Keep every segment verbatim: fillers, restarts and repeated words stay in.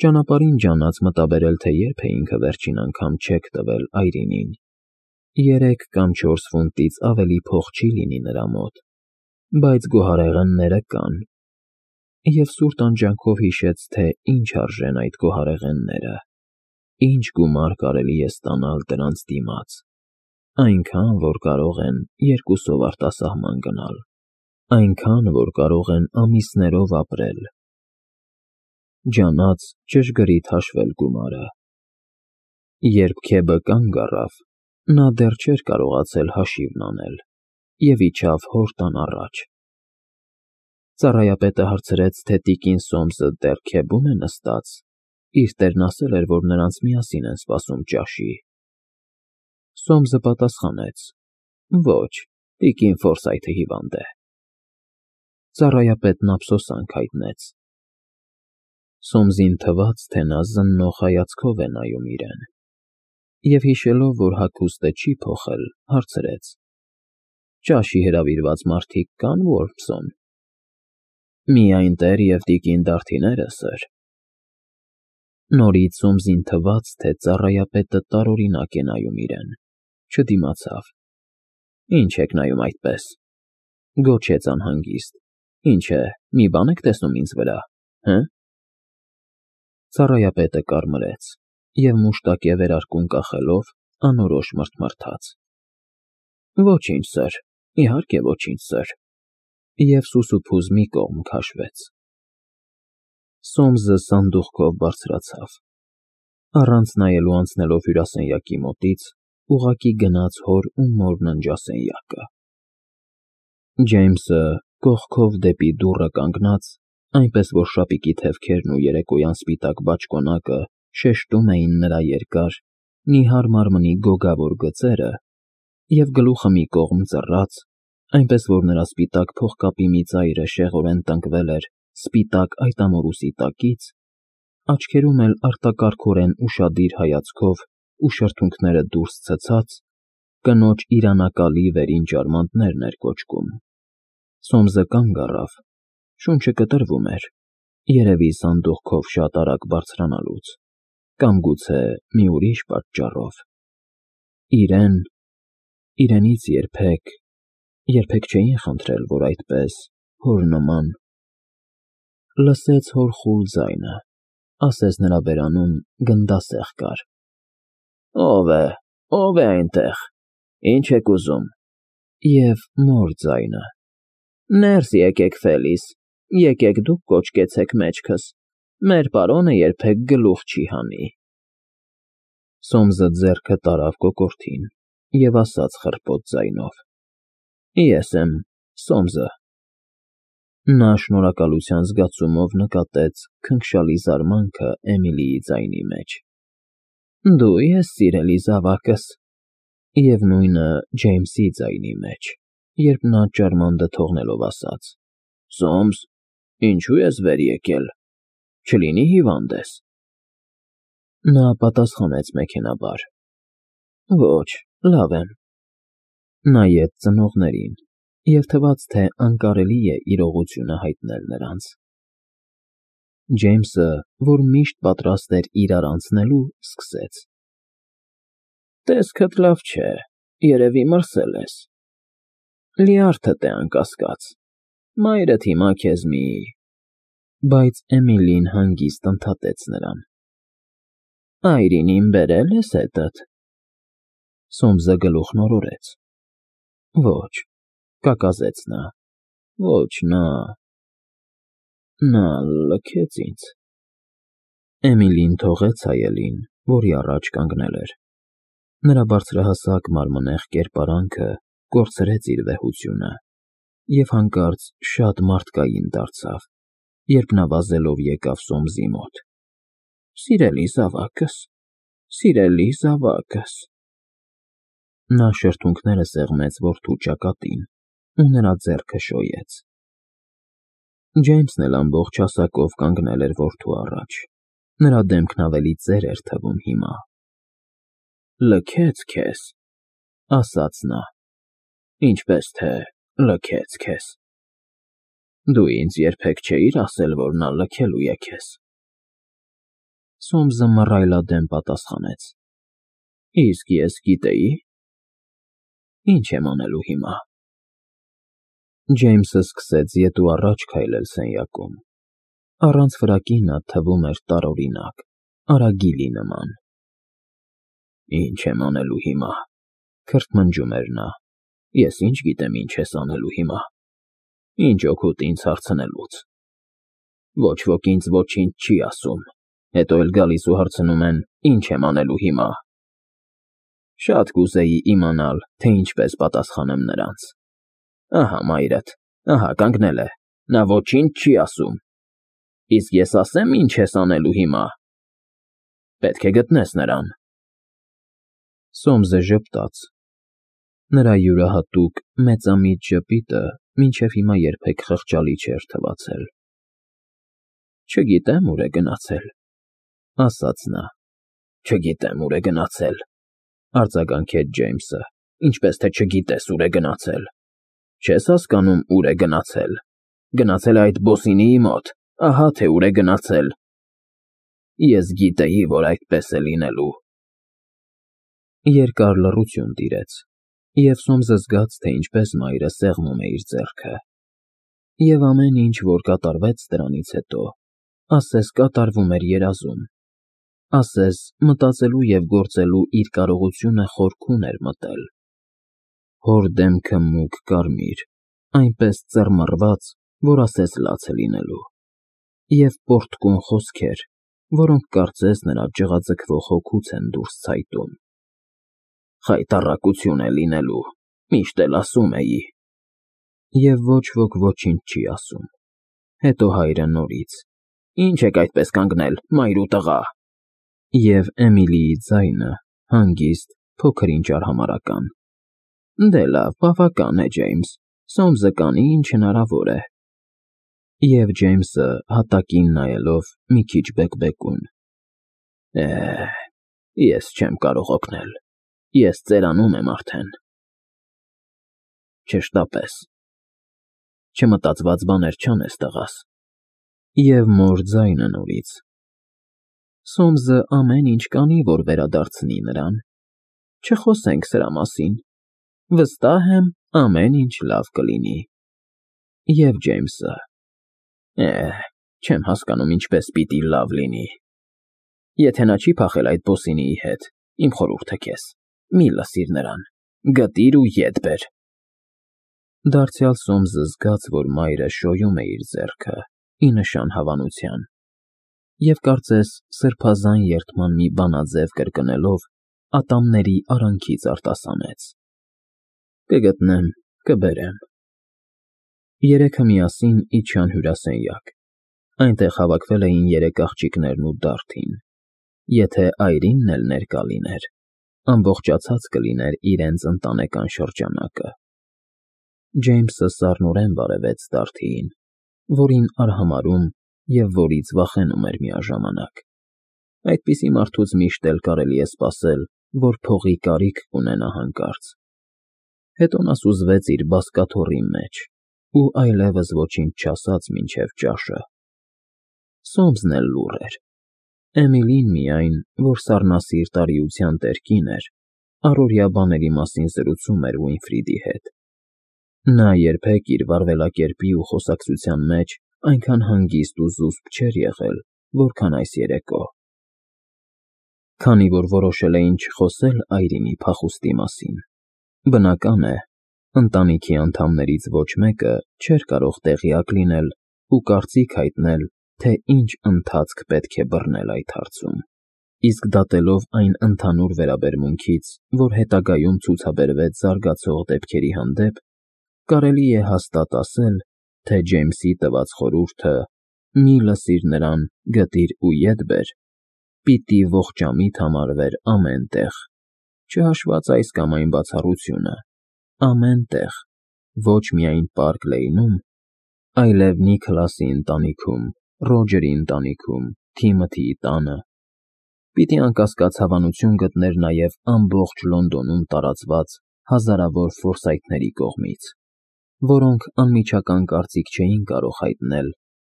Ճանապարհին ջանաց մտաբերել, թե երբ է ինքը վերջին անգամ չեք տվել Այրինին. երեք կամ չորս ֆունտից ավելի փող չի լինի նրա մոտ, բայց գոհարեղենները կան, և սուր տանջանքով հիշեց, թե ինչ արժեն այդ գոհարեղենները, ինչ գումար կարելի է ստանալ դրանց դիմաց, այնքան, որ կարող են երկուսով արտասահման գնալ, այնքան, որ կարող են ամիսներով ապրել, ջանաց ճշգրիտ հաշվել գումարը։ Երբ Քեբը կանգ առավ, նա դեռ չէր կարողացել հաշիվն անել և իջավ հոր տան առաջ։ Ծառայապետը հարցրեց, թե տիկին Սոմսը դեռ Քեբում է նստած, իր տերն ասել էր, որ նրանց միասին են սպասում ճաշի։ Սոմսը պատասխանեց. ոչ, տիկին Ֆորսայթը հիվանդ է։ Ծառայապետն ափսոսանք հայտնեց։ Սոմսին թվաց, թե նա զննող հայացքով է նայում իրեն, և հիշելով, որ հագուստը չի փոխել, հարցրեց. ճաշի հրավիրված մարդիկ կա՞ն, Ոռփսոն։ Միայն տեր և տիկին Դարդիները, սըր։ Նորից Սոմսին թվաց, թե ծառայապետը տարօրինակ է նայում իրեն, չդիմացավ։ Ինչ եք նայում այդպես, գոչեց անհանգիստ, ինչ է, մի բան եք տեսնում ինձ վրա, հը՞։ Ծառայապետը կարմրեց և մուշտակե վերարկուն կախելով անորոշ մռթմռթաց. Ոչինչ, սըր, իհարկե ոչինչ, սըր, և սուսուփուզ մի կողմ քաշվեց։ Սոմսը սանդուղքով բարձրացավ, առանց նայելու անցնելով հյուրասենյակի մոտից, ուղղակի գնաց հոր ու մոր ննջասենյակը։ Ջեյմսը կողքով դեպի դուռը կանգնած, այնպես որ շապիկի թևքերն ու երեկոյան սպիտակ բաճկոնակը շեշտում էին նրա երկար, նիհար մարմնի գոգավոր գծերը, և գլուխը մի կողմ ծռած, այնպես որ նրա սպիտակ փողկապի մի ծայրը շեղորեն տնկվել էր սպիտակ այտամորուսի տակից, աչքերում էլ արտակարգորեն ուշադիր հայացքով ու շրթունքները դուրս ցցած, կնոջ իրանակալի վերին ջարմանտներն էր կոճկում։ Սոմսը կանգ առավ, շունչը կտրվում էր, երևի սանդուղքով շատ արագ բարձրանալուց, կամ գուցե մի ուրիշ պատճառով։ Իրեն, իրենից երբեք, երբեք չէին խնդրել, որ այդպես, հոր նման… Լսեց հոր խուլ ձայնը, ասես նրա բերանում գնդասեղ կար. Ո՞վ է, ո՞վ է այնտեղ, ինչ եք ուզում։ Եվ մոր ձայնը. Ներս եկեք, Ֆելիս, եկեք դուք կոճկեցեք մեջքս, մեր պարոնը երբեք գլուխ չի հանի։ Սոմսը ձեռքը տարավ կոկորդին և ասաց խռպոտ ձայնով. Ես եմ, Սոմսը։ Նա շնորհակալության զգացումով նկատեց քնքշալի զարմանքը Էմիլիի ձայնի մեջ։ Դու ես, սիրելի զավակս, և նույնը Ջեյմսի ձայնի մեջ, երբ նա ջարմանդը թողնելով ասաց. Սոմս, ինչու ես վեր եկել, չլինի հիվանդ ես։ Նա պատասխանեց մեքենաբար. Ոչ, լավ եմ։ Նայեց ծնողներին և թվաց, թե անկարելի է իրողությունը հայտնել նրանց։ Ջեյմսը, որ միշտ պատրաստ էր իրար անցնելու, սկսեց. Տեսքդ լավ չէ, երևի մրսել ես։ Լյարդդ է անկասկած, մայրդ հիմա քեզ մի… Բայց Էմիլին հանգիստ ընդհատեց նրան. Այրինին բերել ես հետդ։ Սոմսը գլուխն օրորեց. Ոչ, կակազեց նա, ոչ, նա… նա լքեց ինձ… Էմիլին թողեց հայելին, որի առաջ կանգնել էր։ Նրա բարձրահասակ մարմնեղ կերպարանքը կորցրեց իր վեհությունը և հանկարծ շատ մարդկային դարձավ, երբ նա վազելով եկավ Սոմսի մոտ։ Սիրելի զավակս, սիրելի զավակս… Նա շրթունքները սեղմեց որդու ճակատին ու նրա ձեռքը շոյեց։ Ջեյմսն էլ ամբողջ հասակով կանգնել էր որդու առաջ, նրա դեմքն ավելի ծեր էր թվում հիմա։ Լքեց քեզ, ասաց նա, ինչպես թե լքեց քեզ։ Դու ինձ երբեք չէիր ասել, որ նա լքելու է քեզ։ Սոմսը մռայլադեմ պատասխանեց. Իսկ ես գիտեի։ Ինչ եմ անելու հիմա։ Ջեյմսը սկսեց ետ ու առաջ քայլել սենյակում։ Առանց ֆրակի նա թվում էր տարօրինակ, արագիլի նման։ Ինչ եմ անելու հիմա, քրթմնջում էր նա։ Ես ինչ գիտեմ ինչ ես անելու հիմա։ Ինչ օգուտ ինձ հարցնելուց։ Ոչ ոք ինձ ոչինչ չի ասում, հետո էլ գալիս ու հարցնում են, ինչ եմ անելու հիմա։ Շատ կուզեի իմանալ, թե ինչպես պատասխանեմ նրանց։ Ահա մայրդ, ահա կանգնել է, նա ոչինչ չի ասում։ Իսկ ես ասեմ ինչ ես անելու հիմա։ Պետք է գտնես նրան։ Սոմսը ժպտաց։ Նրա յուրահատուկ մեծամիտ ժպիտը մինչև հիմա երբեք խղճալի չէր թվացել։ Չգիտեմ ուր է գնացել, ասաց նա։ Չգիտեմ ուր է գնացել, արձագանքեց Ջեյմսը, ինչպես թե չգիտես ուր է գնացել։ Չես հասկանում ուր է գնացել։ Գնացել է այդ բոսինիի մոտ, ահա թե ուր է գնացել։ Ես գիտեի, որ այդպես է լինելու։ Երկար լռություն տիրեց, և Սոմսը զգաց, թե ինչպես մայրը սեղմում է իր ձեռքը։ Եվ ամեն ինչ, որ կատարվեց դրանից հետո, ասես կատարվում էր երազում, ասես մտածելու և գործելու իր կարողությունը խորքում էր մտել։ Հոր դեմքը մուգ կարմիր, այնպես ծռմռված, որ ասես լաց է լինելու, և պոռթկուն խոսքեր, որոնք կարծես նրա ջղաձգվող հոգուց են դուրս ցայտում։ Խայտառակություն է լինելու, միշտ էլ ասում էի։ Եվ ոչ ոք ոչինչ չի ասում։ Հետո հայրը նորից. Ինչ եք այդպես կանգնել, մայր ու տղա։ Եվ Էմիլիի ձայնը, հանգիստ, փոքր-ինչ արհամարհական. Դե լավ, բավական է, Ջեյմս, Սոմսը կանի, ինչ հնարավոր է։ Եվ Ջեյմսը հատակին նայելով մի քիչ բեկբեկուն. Է, ես չեմ կարող օգնել, ես ծերանում եմ արդեն։ Չշտապես։ Չմտածված բաներ չանես, տղաս։ Եվ մոր ձայնը նորից. Սոմսը ամեն ինչ կանի, որ վերադարձնի նրան։ Չխոսենք սրա մասին։ Վստահ եմ, ամեն ինչ լավ կլինի։ Եվ Ջեյմսը. Է, չեմ հասկանում ինչպես պիտի լավ լինի։ Եթե նա չի փախել այդ բոսինիի հետ, իմ խորհուրդը քեզ, մի լսիր նրան, գտիր ու ետ բեր։ Դարձյալ Սոմսը զգաց, որ մայրը շոյում է իր ձեռքը, ի նշան հավանության, և կարծես սրբազան երդման մի բանաձև կրկնելով, ատամների արանքից արտասանեց. Կգտնեմ, կբերեմ։ Երեքը միասին իջան հյուրասենյակ։ Այնտեղ հավաքվել էին երեք աղջիկներն ու Դարդին։ Եթե այրինն էլ ներկա լիներ, ամբողջացած կլիներ իրենց ընտանեկան շրջանակը։ Ջեյմսը սառնորեն բարևեց Դարդիին, որին արհամարհում և որից վախենում էր միաժամանակ։ Այդպիսի մարդուց միշտ էլ կարելի է սպասել, որ փողի կարիք կունենա հանկարծ։ Հետո նա սուզվեց իր բազկաթոռի մեջ ու այլևս ոչինչ չասաց մինչև ճաշը։ Սոմսն էլ լուռ էր։ Էմիլին միայն, որ սառնասիրտ արիության տեր կին էր, առօրյա բաների մասին զրուցում էր Ուինֆրիդի հետ։ Նա երբեք իր վարվելակերպի ու խոսակցության մեջ այնքան հանգիստ ու զուսպ չէր եղել, որքան այս երեկո։ Քանի որ որոշել էին չխոսել այրինի փախուստի մասին, բնական է, ընտանիքի անդամներից ոչ մեկը չէր կարող տեղյակ լինել ու կարծիք հայտնել, թե ինչ ընթացք պետք է բռնել այդ հարցում։ Իսկ դատելով այն ընդհանուր վերաբերմունքից, որ հետագայում ցուցաբերվեց զարգացող դեպքերի հանդեպ, կարելի է հաստատ ասել, թե Ջեյմսի տված խորհուրդը՝ մի լսիր նրան, գտիր ու ետ բեր, պիտի ողջամիտ համարվեր ամեն տեղ, չհաշված այս կամ այն բացառությունը, ամեն տեղ, ոչ միայն Պարկ Լեյնում, այլև Նիքլասի ընտանիքում, Ռոջերի ընտանիքում, Թիմոթիի տանը, պիտի անկասկած հավանություն գտներ նաև ամբողջ Լոնդոնում տարածված հազարավոր Ֆորսայթների կողմից, որոնք անմիջական կարծիք չէին կարող հայտնել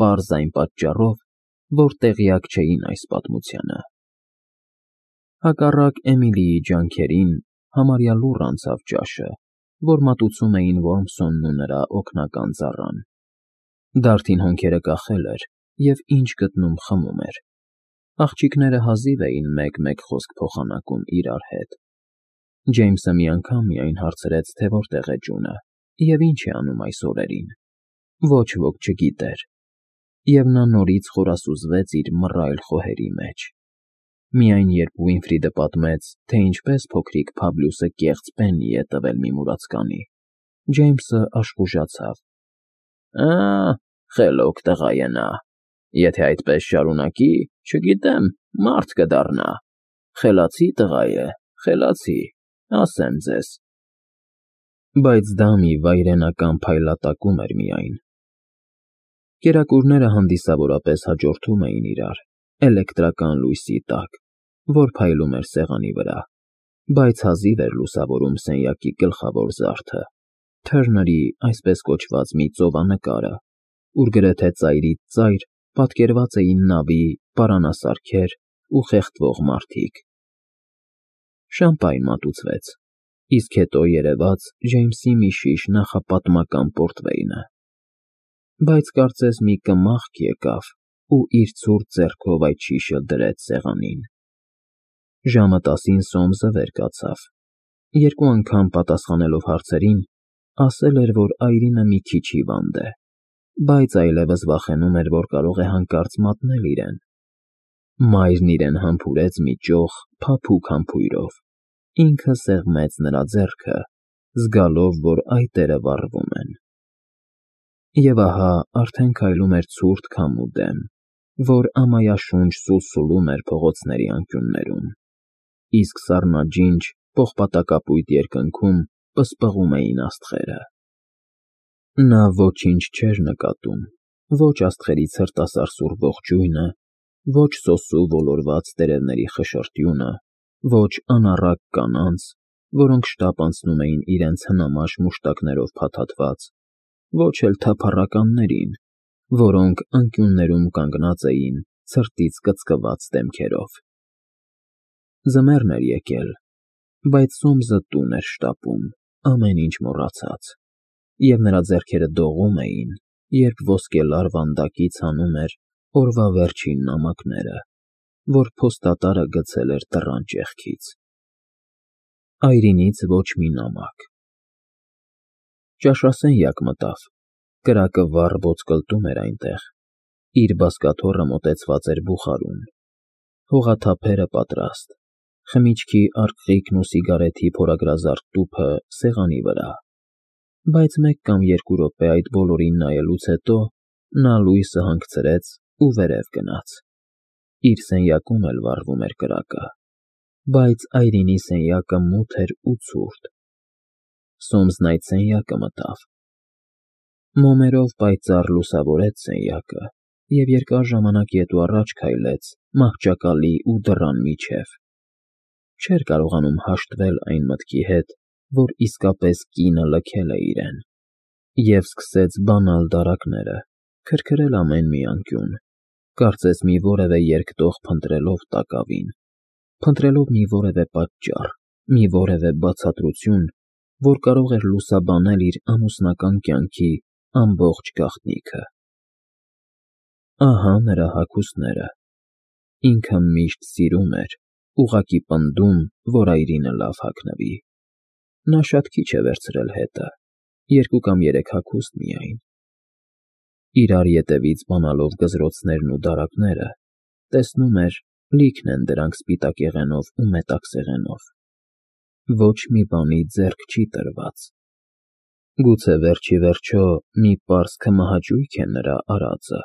պարզ այն պատճառով, որ տեղյակ չէին այս պատմությանը։ Հակառակ Էմիլիի ջանքերին համարյա լուռ անցավ ճաշը, որ մատուցում էին Որմսոնն ու նրա օգնական ծառան։ Դարդին հոնքերը կախել էր և ինչ գտնում խմում էր։ Աղջիկները հազիվ էին մեկ֊մեկ խոսք փոխանակում իրար հետ։ Ջեյմսը մի անգամ միայն հարցրեց, թե որտեղ է Ջունը և ինչ է անում այս օրերին։ Ոչ ոք չգիտեր, և նա նորից խորասուզվեց իր մռայլ խոհերի մեջ։ Միայն երբ Վիլֆրիդը պատմեց, թե ինչպես փոքրիկ Փաբլյուսը կեղծ բենի է տվել մի մուրացկանի, Ջեյմսը աշխուժացավ։ «Ա՜, խելոք տղա է նա, եթե այդպես շարունակի, չգիտեմ, մարդ կդառնա։ Խելացի տղա է, խելացի, ասեմ ձեզ»։ Բայց դա մի վայրենական փայլատակում էր միայն։ Կերակուրները հանդիսավորապես հաջորդում էին իրար էլեկտրական լույսի տակ, որ փայլում էր սեղանի վրա, բայց հազիվ էր լուսավորում սենյակի գլխավոր զարդը՝ Թըրների այսպես կոչված մի ծովանկարը, ուր գրեթե ծայրից ծայր պատկերված էին նավի պարանասարքեր ու խեղդվող մարդիկ։ Շամպայն մատուցվեց, իսկ հետո երևաց Ջեյմսի մի շիշ նախապատմական պորտվեյնը։ Բայց կարծես մի կմախք եկավ ու իր ցուրտ ձեռքով այդ շիշը դրեց սեղանին։ Ժամը տասին Սոմսը վեր կացավ։ Երկու անգամ պատասխանելով հարցերին, ասել էր, որ այրինը մի քիչ հիվանդ է, բայց այլևս վախենում էր, որ կարող է հանկարծ մատնել իրեն։ Մայրն իրեն համբուրեց մի ճոխ փափուկ համբույրով, ինքը սեղմեց նրա ձեռքը, զգալով, որ այտերը վառվում են։ Եվ ահա արդեն քայլում էր ցուրտ քամու դեմ, որ ամայաշունչ սուլսուլում էր փողոցների անկյուններում, իսկ սառնաջինջ պողպատակապույտ երկնքում պսպղում էին աստղերը։ Նա ոչինչ չէր նկատում, ոչ աստղերի ցրտասարսուռ ջույնը, ոչ սոսու ոլորված տերևների խշշտյունը, ոչ անառակ կանանց, որոնք շտապ անցնում էին իրենց հնամաշ մուշտակներով փաթաթված, ոչ էլ թափառականներին, որոնք անկյուններում կանգնած էին ցրտից կծկված դեմքերով։ Ձմեռն էր եկել, բայց Սոմսը տուն էր շտապում, ամեն ինչ մոռացած, և նրա ձեռքերը դողում էին, երբ ոսկելար վանդակից հանում էր օրվա վերջին նամակները, որ փոստատարը գցել էր դռան ճեղքից։ Այրինից ոչ մի նամակ։ Ճաշասենյակ մտավ, կրակը վառ ոսկլտում էր այնտեղ, իր բազկաթոռը մոտեցված էր բուխարուն, հողաթափերը պատրաստ, խմիչքի արկղիկն ու սիգարեթի փորագրազարդ տուփը սեղանի վրա, բայց մեկ կամ երկու րոպե այդ բոլորին նայելուց հետո նա լույսը հանգցրեց ու վերև գնաց։ Իր սենյակում էլ վառվում էր կրակը, բայց այրինի սենյակը մութ էր ու ցուրտ։ Սոմսն այդ սենյակը մտավ։ Մոմերով պայծառ լուսավորեց սենյակը և երկար ժամանակ ետ ու առաջ քայլեց մահճակալի ու դռան միջև։ Չէր կարողանում հաշտվել այն մտքի հետ, որ իսկապես կինը լքել է իրեն, և սկսեց բանալ դարակները, քրքրել ամեն մի անկյուն, կարծես մի որևէ երկտող փնտրելով տակավին, փնտրելով մի որևէ պատճառ, մի որևէ բացատրություն, որ կարող էր լուսաբանել իր ամուսնական կյանքի ամբողջ գաղտնիքը։ Ահա նրա հագուստները։ Ինքը միշտ սիրում էր, ուղղակի պնդում, որ այրինը լավ հագնվի։ Նա շատ քիչ է վերցրել հետը, երկու կամ երեք հագուստ միայն։ Իրար ետևից բանալով գզրոցներն ու դարակները, տեսնում էր, լիքն են դրանք սպիտակեղենով ու մետաքսեղենով։ Ոչ մի բանի ձեռք չի տրված։ Գուցե վերջիվերջո մի պարզ քմահաճույք է նրա արածը։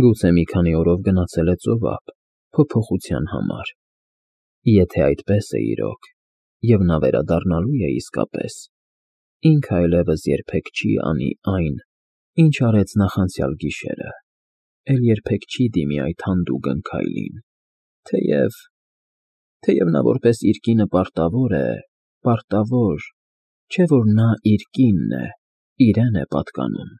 Գուցե մի քանի օրով գնացել է ծովափ, փոփոխության համար։ Եթե այդպես է իրոք, և նա վերադառնալու է իսկապես, ինքը այլևս երբեք չի անի այն, ինչ արեց նախանցյալ գիշերը, էլ երբեք չի դիմի այդ հանդուգն քայլին, թեև… թեև նա որպես իր կինը պարտավոր է, պարտավոր… չէ՞ որ նա իր կինն է, իրեն է պատկանում։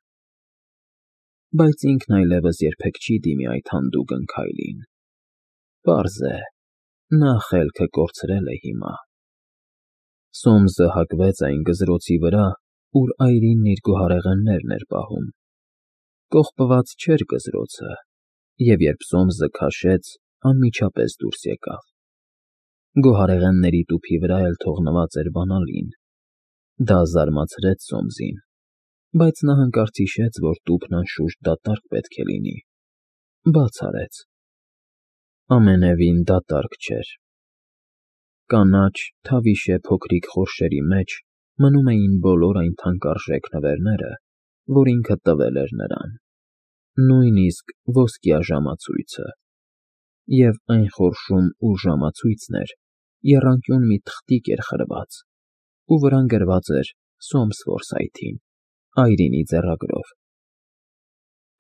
բայց ինքն այլևս երբեք չի դիմի այդ հանդուգն քայլին։ Պարզ է, նա խելքը կորցրել է հիմա։ Սոմսը հագվեց այն գզրոցի վրա, ուր այրինն իր գոհարեղեններն էր պահում։ Կողպված չէր գզրոցը, և երբ Սոմսը քաշեց, անմիջապես դուրս եկավ։ Գոհարեղենների տուփի վրա էլ թողնված էր բանալին։ Դա զարմացրեց Սոմսին, բայց նա հանկարծ հիշեց, որ տուփն անշուշտ դատարկ պետք է լինի։ Բաց արեց։ Ամենևին դատարկ չէր։ Կանաչ, թավիշե փոքրիկ խորշերի մեջ մնում էին բոլոր այն թանկարժեք նվերները, որ ինքը տվել էր նրան, նույնիսկ ոսկյա ժամացույցը, և այն խորշում, ուր ժամացույցն էր, եռանկյուն մի թղթիկ էր խրված, ու վրան գրված էր Սոմս Ֆորսայթին, այրինի ձեռագրով։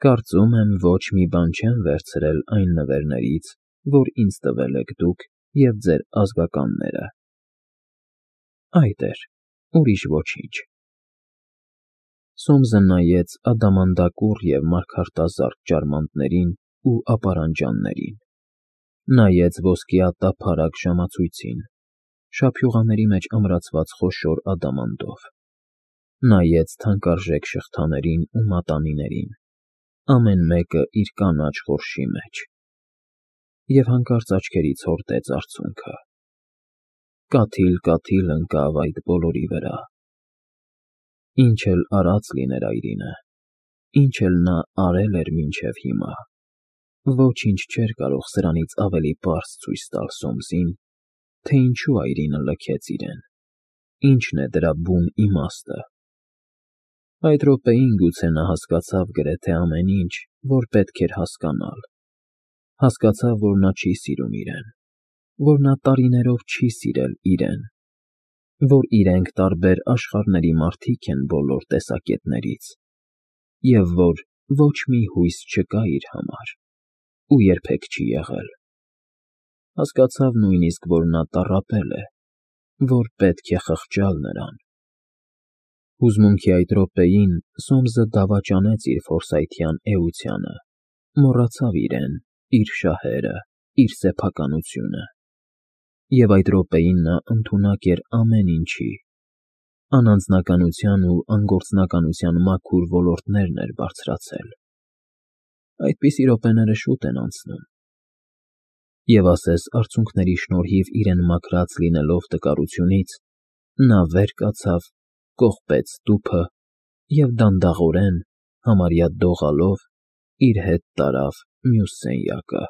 Կարծում եմ, ոչ մի բան չեմ վերցրել այն նվերներից, որ ինձ տվել եք դուք և ձեր ազգականները։ Այդ էր, ուրիշ ոչինչ։ Սոմսը նայեց ադամանդակուռ և մարգարտազարդ ջարմանդներին ու ապարանջաններին, նայեց ոսկյա տափարակ ժամացույցին, շափյուղաների մեջ ամրացված խոշոր ադամանդով, նայեց թանկարժեք շղթաներին ու մատանիներին, ամեն մեկը իր կանաչ խորշի մեջ, և հանկարծ աչքերից հորդեց արցունքը։ Կաթիլ֊կաթիլ ընկավ այդ բոլորի վրա։ Ինչ էլ արած լիներ այրինը, ինչ էլ նա արել էր մինչև հիմա, ոչինչ չէր կարող սրանից ավելի պարզ ցույց տալ Սոմսին, թե ինչու այրինը լքեց իրեն, ինչն է դրա բուն իմաստը։ Այդ րոպեին գուցե նա հասկացավ գրեթե ամեն ինչ, որ պետք էր հասկանալ, հասկացավ, որ նա չի սիրում իրեն, որ նա տարիներով չի սիրել իրեն, որ իրենք տարբեր աշխարհների մարդիկ են բոլոր տեսակետներից, և որ ոչ մի հույս չկա իր համար ու երբեք չի եղել։ Հասկացավ նույնիսկ, որ նա տառապել է, որ պետք է խղճալ նրան։ Հուզմունքի այդ րոպեին Սոմսը դավաճանեց իր ֆորսայթյան էությանը, մոռացավ իրեն, իր շահերը, իր սեփականությունը, և այդ րոպեին նա ընդունակ էր ամեն ինչի, անանձնականության ու անգործնականության մաքուր ոլորտներն էր բարձրացել։ Այդպիսի րոպեները շուտ են անցնում։ Եվ ասես արցունքների շնորհիվ իրեն մաքրած լինելով տկարությունից, նա վեր կացավ, կողպեց տուփը և դանդաղորեն, համարյա դողալով, իր հետ տարավ մյուս սենյակը։